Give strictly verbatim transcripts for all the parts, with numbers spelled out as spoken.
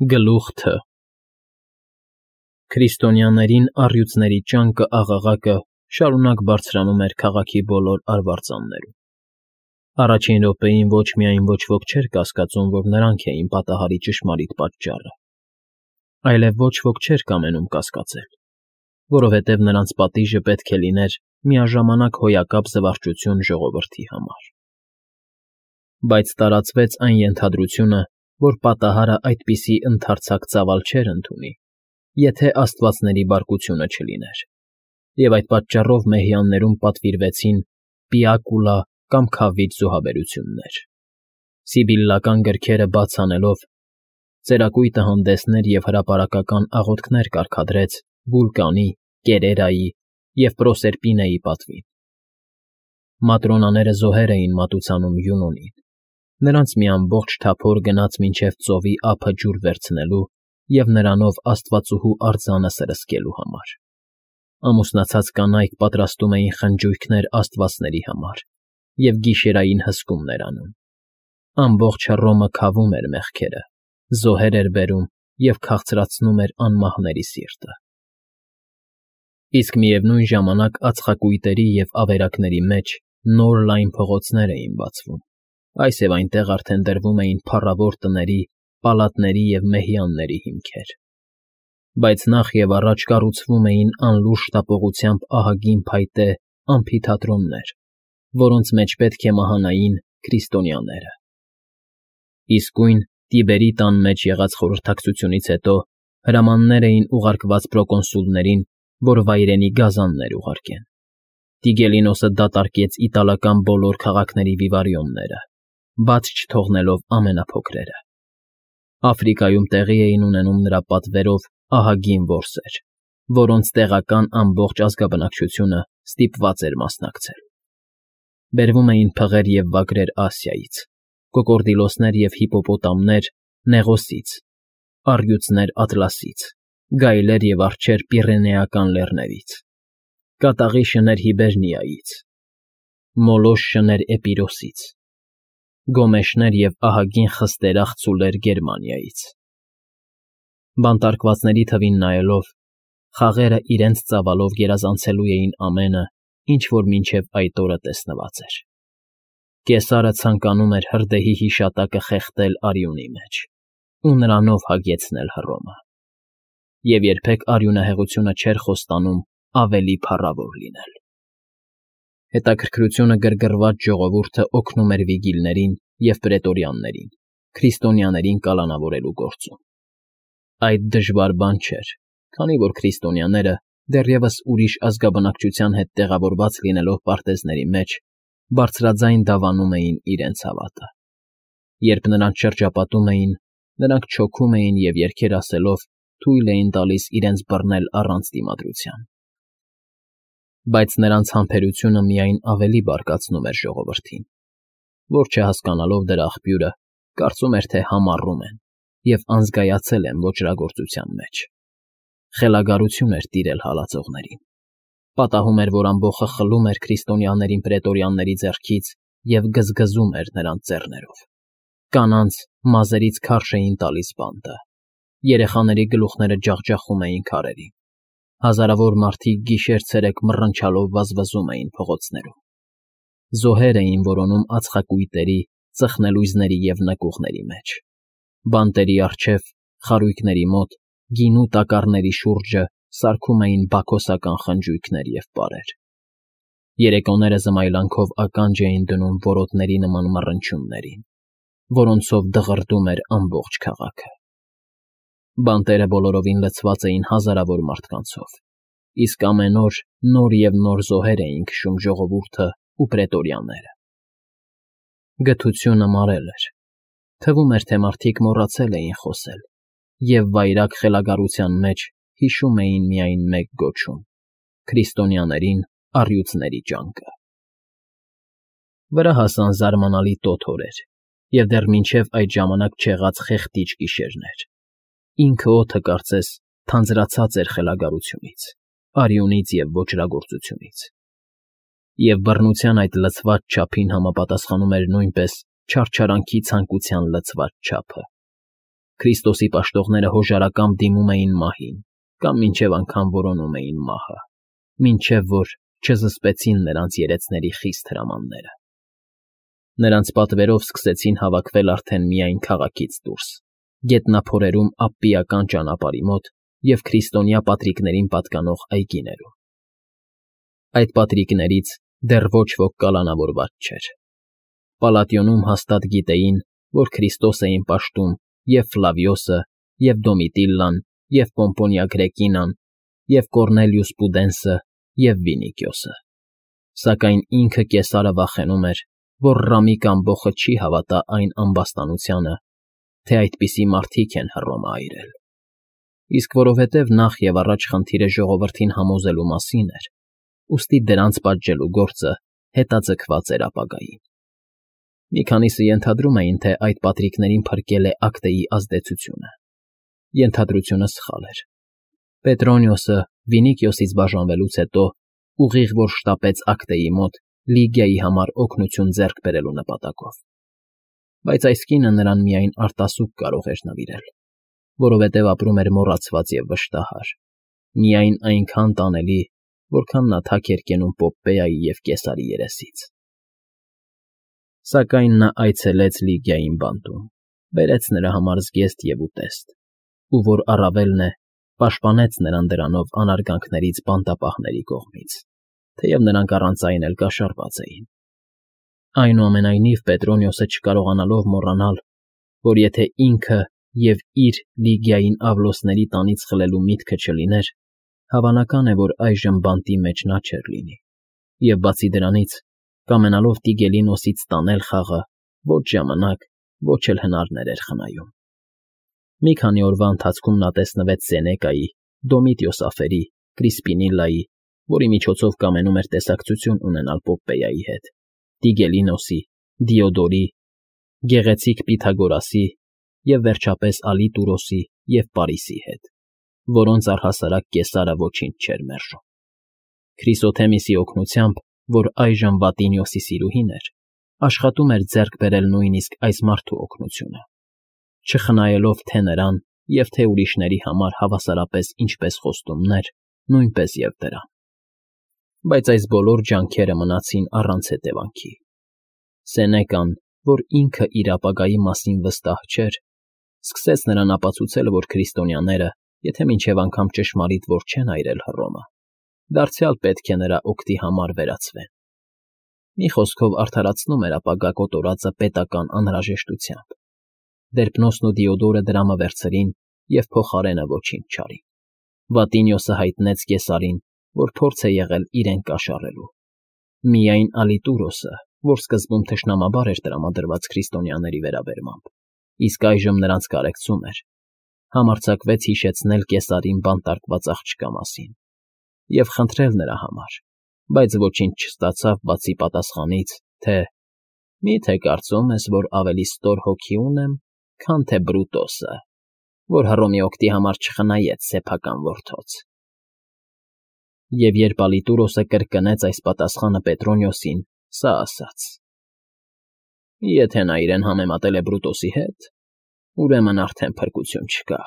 Գլուխ Թ Քրիստոնյաներին առյուծների ճանկը աղաղակը շարունակ բարձրանում էր քաղաքի բոլոր արվարձաններում. առաջին րոպեին ոչ միայն ոչ ոք չէր կասկածում, որ նրանք էին պատահարի ճշմարիտ պատճառը, այլև ոչ ոք չէր կամենում կասկածել, որովհետև նրանց պատիժը պետք է լիներ միաժամանակ հոյակապ զվարճություն ժողովրդի համար. Բայց տարածվեց այն ենթադրությունը, որ պատահարը այդպիսի ընդարձակ ծավալ չէր ընդունի, եթե աստվածների բարկությունը չլիներ, և այդ պատճառով մեհյաններում պատվիրվեցին պիակուլա կամ քավիճ զոհաբերություններ. սիբիլլական գրքերը բաց անելով, ծերակույտը հանդեսներ և հրապարակական աղոթքներ կարգադրեց Վուլկանի, Կերերայի և Պրոսերպինեի պատվին. Մատրոնաները զոհեր էին մատուցանում Յունոնին, նրանց մի ամբողջ թափոր գնաց մինչև ծովի ափը ջուր վերցնելու և նրանով աստվածուհու արձանը սրսկելու համար. ամուսնացած կանայք պատրաստում էին խնջույքներ աստվածների համար և գիշերային հսկումներ անում, ամբողջ Հռոմը քավում էր մեղքերը, զոհեր էր բերում և քաղցրացնում էր անմահների սիրտը. Իսկ միևնույն ժամանակ ածխակույտերի և ավերակների մեջ նոր լայն փողոցներ էին բացվում, այս և այնտեղ արդեն դրվում էին փառավոր տների, պալատների և մեհյանների հիմքեր, բայց նախ և առաջ կառուցվում էին անլուռ շտապողությամբ ահագին փայտե ամֆիթատրոններ, որոնց մեջ պետք է մահանային քրիստոնյաները. իսկույն Տիբերի տան մեջ եղած խորհրդակցությունից հետո հրամաններ էին ուղարկված պրոկոնսուլներին, որ վայրենի գազաններ ուղարկեն. Տիգելինոսը դատարկեց իտալական բոլոր քաղաքների վիվարիոնները, բաց չթողնելով ամենափոքրերը. Աֆրիկայում տեղի էին ունենում նրա պատվերով ահագին որսեր, որոնց տեղական ամբողջ ազգաբնակչությունը ստիպված էր մասնակցել. բերվում էին փղեր և վագրեր Ասիայից, կոկորդիլոսներ և հիպոպոտամներ Նեղոսից, առյուծներ Ատլասից, գայլեր և արջեր Պիրենեական լեռներից, կատաղի շներ Հիբերնիայից, մոլոզ շներ Էպիրոսից, գոմեշներ և ահագին խստերախ ծուլեր Գերմանիայից. Բանտարկվածների թվին նայելով, խաղերը իրենց ծավալով գերազանցելու էին ամենը, ինչ որ մինչև այդ օրը տեսնված էր. Կեսարը ցանկանում էր հրդեհի հիշատակը խեղդել արյունի մեջ ու նրանով հագեցնել Հռոմը, և երբեք արյունահեղությունը չէր խոստանում ավելի փառավոր լինել. Հետաքրքրությունը գրգռված ժողովուրդը օգնում էր վիգիլներին և պրետորյաններին քրիստոնյաներին կալանավորելու գործում. Այդ դժվար բան չէր, քանի որ քրիստոնյաները, դեռևս ուրիշ ազգաբնակչության հետ տեղավորված լինելով պարտեզների մեջ, բարձրաձայն դավանում էին իրենց հավատը. երբ նրանց շրջապատում էին, նրանք չոքում էին և երգեր ասելով թույլ էին տալիս իրենց բռնել առանց դիմադրության. Բայց նրանց համբերությունը միայն ավելի բարկացնում էր ժողովրդին, որ չհասկանալով դրա աղբյուրը, կարծում էր, թե համառում են և անզգայացել են ոճրագործության մեջ. խելագարություն էր տիրել հալածողներին, պատահում էր, որ ամբոխը խլում էր քրիստոնյաներին պրետորյանների ձեռքից և գզգզում էր նրանց ձեռներով, կանանց մազերից քարշ էին տալիս բանտը, երեխաների գլուխները ջախջախում էին քարերին, հազարավոր մարդիկ գիշեր֊ցերեկ մռնչալով վազվզում էին փողոցներում, զոհեր էին որոնում ածխակույտերի, ծխնելույզների և նկուղների մեջ, բանտերի առջև, խարույկների մոտ, գինու տակառների շուրջը սարքում էին բաքոսական խնջույքներ և պարեր, երեկոները զմայլանքով ականջ էին դնում որոտների նման մռնչյուններին, որոնցով դղրդում էր ամբողջ քաղաքը. Բանտերը բոլորովին լցված էին հազարավոր մարդկանցով, իսկ ամեն օր նոր և նոր զոհեր էին քշում ժողովուրդը ու պրետորյանները. Գթությունը մարել էր, թվում էր, թե մարդիկ մոռացել էին խոսել և վայրագ խելագարության մեջ հիշում էին միայն մեկ գոչում. քրիստոնյաներին առյուծների ճանկը: Վրա հասան զարմանալի տոթ օրեր և դեռ մինչև այդ ժամանակ չեղած խեղդիչ գիշերներ, ինքը օդը, կարծես, թանձրացած էր խելագարությունից, արյունից և ոճրագործությունից, և բռնության այդ լցված չափին համապատասխանում էր նույնպես չարչարանքի ցանկության լցված չափը: Քրիստոսի պաշտողները հոժարակամ դիմում էին մահին կամ մինչև անգամ որոնում էին մահը, մինչև որ չզսպեցին նրանց երեցների խիստ հրամանները։ Նրանց պատվերով սկսեցին հավաքվել արդեն միայն քաղաքից դուրս, գետնափորերում Ապպիական ճանապարհի մոտ և քրիստոնյա պատրիկներին պատկանող այգիներում։ Այդ պատրիկներից դեռ ոչ ոք կալանավորված չէր։ Պալատիոնում հաստատ գիտեին, որ Քրիստոս էին պաշտում և Ֆլավիոսը, և Դոմիտիլլան, և Պոմպոնիա Գրեկինան, և Կոռնելիուս Պուդենսը, և Վինիկիոսը։ Սակայն ինքը Կեսարը վախենում էր, որ Ռամիկ ամբոխը չի հավատա այն ամբաստանությանը, թե այդպիսի մարդիկ են Հռոմը այրել։ Իսկ որովհետև նախ և առաջ խնդիրը ժողովրդին համոզելու մասին էր, ուստի դրանց պատժելու գործը հետաձգված էր ապագային։ Մի քանիսը ենթադրում էին, թե այդ պատրիկներին փրկել է Ակտեի ազդեցությունը։ Ենթադրությունը սխալ էր։ Պետրոնիոսը Վինիկիոսից բաժանվելուց հետո ուղիղ որ շտապեց Ակտեի մոտ Լիգիայի համար օգնություն ձեռք բերելու նպատակով։ Բայց այս կինը նրան միայն արտասուք կարող էր նվիրել, որովհետև ապրում էր մոռացված և վշտահար, միայն այնքան տանելի, որքան նա թաք էր կենում Պոպպեայի և Կեսարի երեսից։ Սակայն նա այցելեց Լիգիային բանտում, բերեց նրա համար զգեստ և ուտեստ, ու որ առավելն է, պաշտպանեց նրան դրանով անարգանքներից բանտապահների կողմից, թեև նրանք առանց այն էլ կաշառված էին։ Այնուամենայնիվ Պետրոնիոսը չկարողանալով մոռանալ, որ եթե ինքը և իր Լիգիային Ավլոսների տանից խլելու միտքը չլիներ, հավանական է, որ այժմ բանտի մեջ նա չէր լինի, և բացի դրանից, կամենալով Տիգելինոսից ստանել խաղը, ոչ ժամանակ, ոչ էլ հնարներ էր խնայում։ Մի քանի օրվա ընթացքում նա տեսնվեց Սենեկայի, Դոմիտիոսաֆերի, Կրիսպինիլլայի, որի միջոցով կամենում էր տեսակցություն ունենալ Պոպպեայի հետ, Տիգելինոսի, Դիոդորի, գեղեցիկ Պյութագորասի և վերջապես Ալիտուրոսի և Պարիսի հետ, որոնց առհասարակ Կեսարը ոչինչ չէր մերժում։ Քրիսոթեմիսի օգնությամբ, որ այժմ Վատինիոսի սիրուհին էր, աշխատում էր ձեռք բերել նույնիսկ այս մարդու օգնությունը, չխնայելով թե նրան և թե ուրիշների համար հավասարապես ինչպես խոստումներ, նույնպես և դրամ։ Բայց այս բոլոր ջանքերը մնացին առանց հետևանքի։ Սենեկան, որ ինքը իր ապագայի մասին վստահ չէր, սկսեց նրան ապացուցել, որ քրիստոնյաները, եթե մինչև անգամ ճշմարիտ որ չեն այրել Հռոմը, դարձյալ պետք է նրա օգտի համար վերացվեն։ Մի խոսքով արդարացնում էր ապագա կոտորածը պետական անհրաժեշտությամբ։ Դերպնոսն ու Դիոդորը դրամը վերցրին և փոխարենը ոչինչ չարին։ Վատինիոսը հայտնեց Կեսարին, որ փորձ է եղել իրեն կաշառելու։ Միայն Ալիտուրոսը, որ սկզբում թշնամաբար էր տրամադրված քրիստոնյաների վերաբերմամբ, իսկ այժմ նրանց կարեկցում էր, համարձակվեց հիշեցնել Կեսարին բանտարկված աղջկա մասին և խնդրել նրա համար, բայց ոչինչ չստացավ, բացի պատասխանից, թե «Մի՞թե կարծում ես, որ ավելի ստոր հոգի ունեմ, քան թե Բրուտոսը, որ Հռոմի օգտի համար չխնայեց սեփական որդոց»։ Եվ երբ Ալիտուրոսը կրկնեց այս պատասխանը Պետրոնիոսին, սա ասաց. «Եթե նա իրեն համեմատել է Բրուտոսի հետ, ուրեմն արդեն փրկություն չկա»։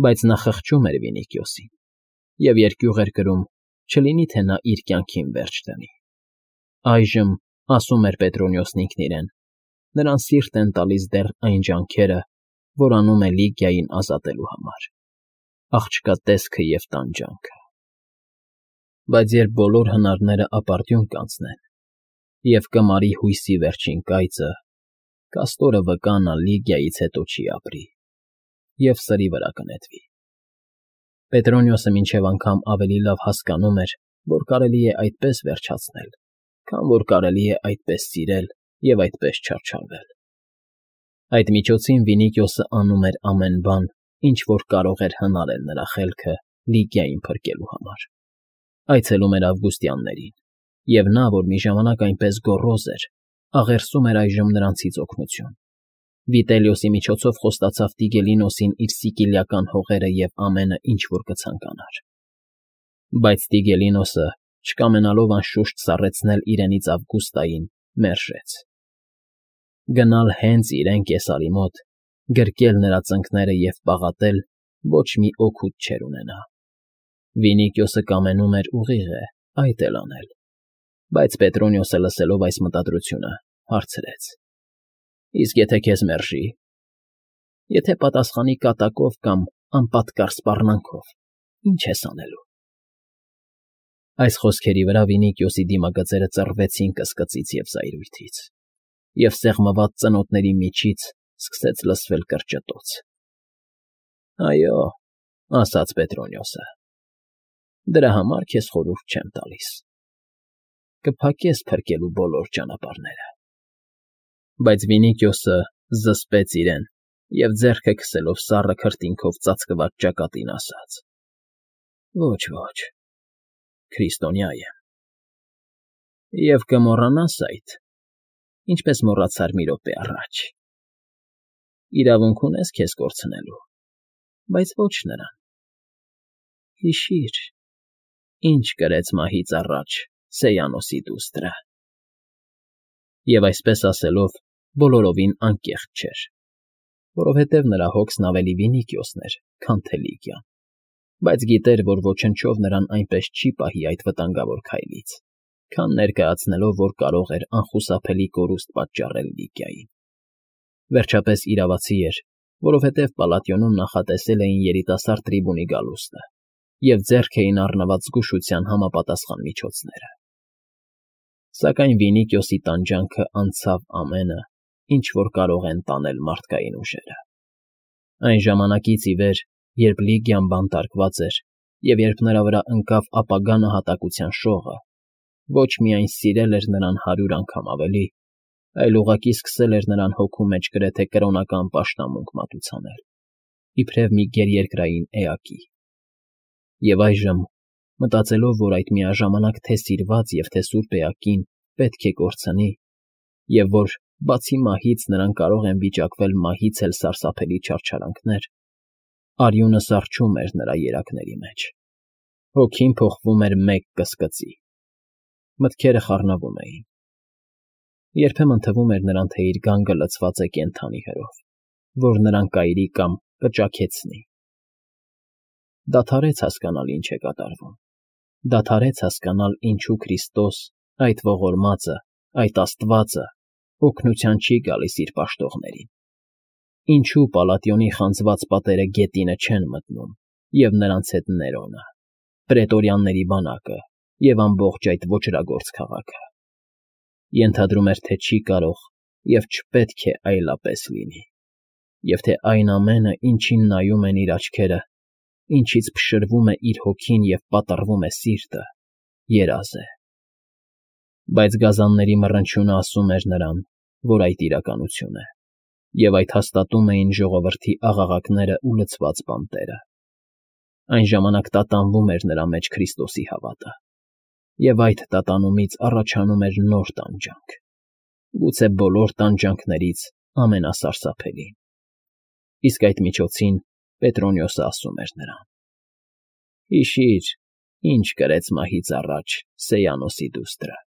Բայց նա խղճում էր Վինիկիոսին և երկյուղ էր կրում, չլինի թե նա իր կյանքին վերջ դնի։ Այժմ, ասում էր Պետրոնիոսն ինքն իրեն, նրան սիրտ են տալիս դեռ այն ջանքերը, որ անում է Լիգիային ազատելու համար, աղջկա տեսքը և տանջանքը։ Բայց երբ բոլոր հնարները ապարդյուն կանցնեն, և կմարի հույսի վերջին կայծը, կաստորը վկա նա Լիգիայից հետո չի ապրի և սրի վրա կնետվի։ Պետրոնիոսը մինչև անգամ ավելի լավ հասկանում էր, որ կարելի է այդպես վերջացնել, քան որ կարելի է այդպես սիրել և այդպես չարչարվել։ Այդ միջոցին Վինիկիոսը անում էր ամեն բան, ինչ որ կարող էր հնարել նրա խելքը Լիգիային փրկելու համար։ Այցելում էր Ավգուստյաններին, և նա, որ մի ժամանակ այնպես գոռոզ էր, աղերսում էր այժմ նրանցից օգնություն։ Վիտելիոսի միջոցով խոստացավ Տիգելինոսին իր սիկիլիական հողերը և ամենը, ինչ որ կցանկանար։ Բայց Տիգելինոսը, չկամենալով անշուշտ սառեցնել իրենից Ավգուստային, մերժեց։ Գնալ հենց իրեն Կեսարի մոտ գրկել նրա ծնկները և պաղատել ոչ մի օգուտ չէր ունենա։ Վինիքիոսը կամենում էր ուղիղ է այդ էլ անել, բայց Պետրոնիոսը, լսելով այս մտադրությունը, հարցրեց. Իսկ եթե քեզ մերժի, եթե պատասխանի կատակով կամ անպատկառ սպառնալով, ի՞նչ ես անելու։ Այս խոսքերի վրա Վինիքիոսի դիմագծերը ծռվեցին կսկծից և զայրույթից, և սեղմված ծնոտների միջից սկսեց լսվել կրճտոց։ Այո, ասաց Պետրոնիոսը, դրա համար քեզ խորհուրդ չեմ տալիս, կփակես փրկելու բոլոր ճանապարհները։ Բայց Վինիքիոսը զսպեց իրեն և ձեռքը քսելով սառը քրտինքով ծածկված ճակատին ասաց. Ոչ, ոչ, քրիստոնյա եմ։ Եվ կմոռանաս այդ, ինչպես մոռացար մի րոպե առաջ։ Իրավունք ունես քեզ կորցնելու, բայց ոչ նրան։ Հիշիր, ինչ կրեց մահից առաջ Սեյանոսի դուստրը։ Եվ այսպես ասելով, բոլորովին անկեղծ չէր, որովհետև նրա հոգսն ավելի Վինիքիոսն էր, քան Թելիկյան, բայց գիտեր, որ ոչնչով նրան այնպես չի պահի այդ վտանգավոր քայլից, քան ներկայացնելով, որ կարող էր անխուսափելի կորուստ պատճառել Լիկիային։ Վերջապես իրավացի էր, որովհետև Պալատիոնում նախատեսել էին երիտասարդ տրիբունի գալուստը և ձեռք էին առնված զգուշության համապատասխան միջոցները։ Սակայն Վինիքիոսի տանջանքը անցավ ամենը, ինչ որ կարող են տանել մարդկային ուժերը։ Այն ժամանակից ի վեր, երբ Լիգիան բանտարկված էր և երբ նրա վրա ընկավ ապագա նահատակության շողը, ոչ միայն սիրել էր նրան հարյուր անգամ ավելի, այլ ուղղակի սկսել էր նրան հոգու մեջ գրեթե կրոնական պաշտամունք մատուցանել, իբրև մի գերերկրային էակի։ Եվ այժմ, մտածելով, որ այդ միաժամանակ թե սիրված և թե սուրբ էակին պետք է կորցնի, և որ, բացի մահից, նրան կարող են վիճակվել մահից էլ սարսափելի չարչարանքներ, արյունը սառչում էր նրա երակների մեջ, հոգին փոխվում էր մեկ կսկծի, մտքերը խառնվում էին։ Երբեմն թվում էր նրան, թե իր գանգը լցված է կենդանի հրով, որ նրան կայրի կամ կճաքեցնի։ Դադարեց հասկանալ ինչ է կատարվում, դադարեց հասկանալ ինչու Քրիստոս, այդ ողորմածը, այդ Աստվածը, օգնության չի գալիս իր պաշտողներին, ինչու Պալատիոնի խանձված պատերը գետինը չեն մտնում, և նրանց հետ Ներոնը, պրետորյանների բանակը և ամբողջ այդ ոճրագործ քաղաքը։ Ենթադրում էր, թե չի կարող և չպետք է այլապես լինի, և թե այն ամենը, ինչին նայում են իր աչքերը, ինչից փշրվում է իր հոգին և պատռվում է սիրտը, երազ է։ Բայց գազանների մռնչյունը ասում էր նրան, որ այդ իրականություն է, և այդ հաստատում էին ժողովրդի աղաղակներն ու լցված բանտերը։ Այն ժամանակ տատանվում էր նրա մեջ Քրիստոսի հավատը, և այդ տատանումից առաջանում էր նոր տանջանք, գուցե բոլոր տանջանքներից ամենասարսափելին։ Իսկ այդ միջոցին Պետրոնիոսը ասում էր նրան. Հիշիր, ինչ կրեց մահից առաջ Սեյանոսի դուստրը։